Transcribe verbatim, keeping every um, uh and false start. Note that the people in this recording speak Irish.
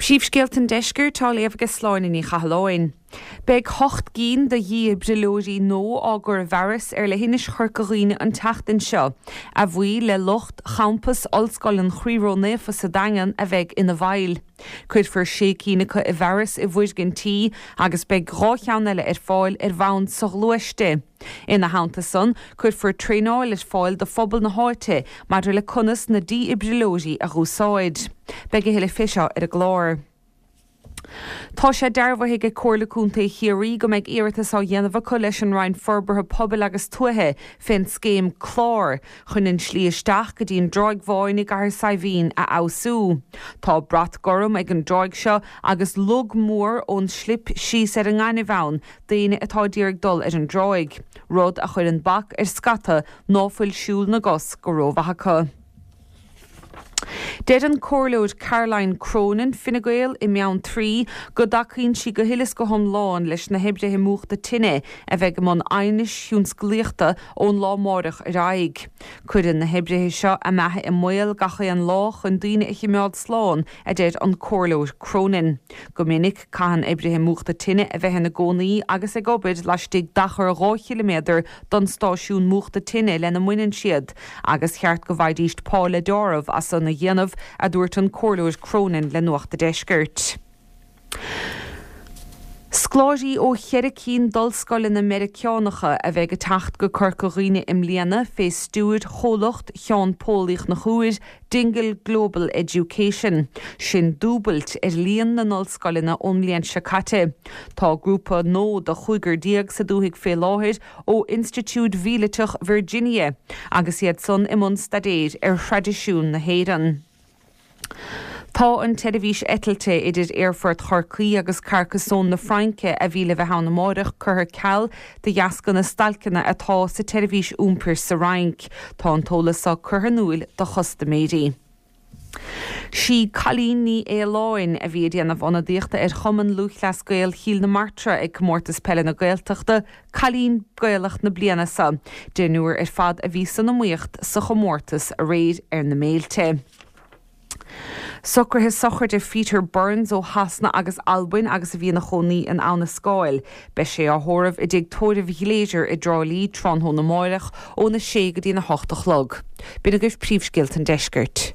Príomhscéalta an Deiscirt á léamh ag Sláine Ní Chathalláin. Beidh ocht gcinn de dhífhibrileoirí nua á gcur i bhfearas ar leithinis Chorca Dhuibhne an tseachtain seo, a bhuí le lucht champas Ollscoil an Chroí Ró-Naofa sa Daingean a bheidh ina bhfeighil. Cuirfear sé cinn acu i bhfearas i bhfoirgintí agus beidh dhá cheann eile ar fáil ar bhonn soghluaiste. Ina theannta san, cuirfear traenáil ar fáil do phobal na háite maidir le conas na dífhibrileoirí a úsáid. Beidh a thuilleadh fé seo ar an gclár. Tá sé dearbhaithe ag Comhairle Contae Chiarraí go mbeidh iarratas á dhéanamh acu leis an Roinn Forbartha Pobail agus Tuaithe fén scéim Clár chun an slí isteach go dtí an dTráigh Bháin i gCathair Saidhbhín a fheabhsú. Tá brat gorm ag an dtráigh seo agus log mór ón slip síos ar an ngaineamh ann d'éinne atá ag iarraidh dul ar an dtráigh, rud a chuireann bac ar scata ná fuil siúl na gcos go rómhaith acu. Deir an Comhairleoir Caroline Cronin Fine Gael i mBeanntraí go dtacaíonn sí go huile is go hiomlán leis na hoibrithe múchta tine a bheidh i mbun aighnis thionsclaíochta ón lá amárach ar aghaidh. Cuireann na hoibrithe seo a mbeatha i mbaol gach aon lá chun daoine a chimeád slán, a deir an Comhairleoir Cronin. Go minic caitheann oibrithe múchta tine a bheith ina gcónaí agus ag obair laistigh d'achar dhá chiliméadar don stáisiún múchta tine lena mbaineann siad, agus cheart go bhfaighidís pá le deáramh as san a dhéanamh, a dúirt an Comhairleoir Cronin le Nuacht a' Deiscirt. Scoláirí ó cheithre cinn d'ollscoileanna Meiriceánacha a bheidh ag teacht go Corca Dhuibhne i mbliana fé stiúir chomhlacht Cheann Póil Uí Chonchúir, Dingle Global Education. Sin dúbailt ar líon na n-ollscoileanna ón mbliain seo caite. Tá grúpa nua de chúigear déag sa dúthaigh fé láthair ó Institiúid Mhíliteach Virginia agus iad san i mbun staidéir ar thraidisiún na hÉireann. Tá an tseirbhís eitilte idir Aerfort Chorcaí agus Carcassonne na Fraince a bhí le bheith ann amárach curtha ar ceal de dheasca na stailceanna atá sa tseirbhís iompair sa Fhrainc. Tá an t-eolas seo curtha in iúil do chustaiméirí. Sí Cailín Ní Fhaoláin a bhí ag déanamh ionadaíochta ar Chumann Lúthchleas Gael Chill na Martra ag Comórtas Peile na Gaeltachta, Cailín Gaelach na bliana seo. Deichniúr ar fad a bhí san iomaíocht sa chomórtas aréir ar na Méilte. Socruithe sochraide Peter Burns ó Shasana agus Albain agus a bhí ina chónaí in Abha na Scáil. Beidh sé á thórramh i dtigh tórraimh Ghlaise i dTrá Lí tráthnóna amárach óna sé go dtí a hocht a chlog. B'in agaibh príomhscéalta an deiscirt.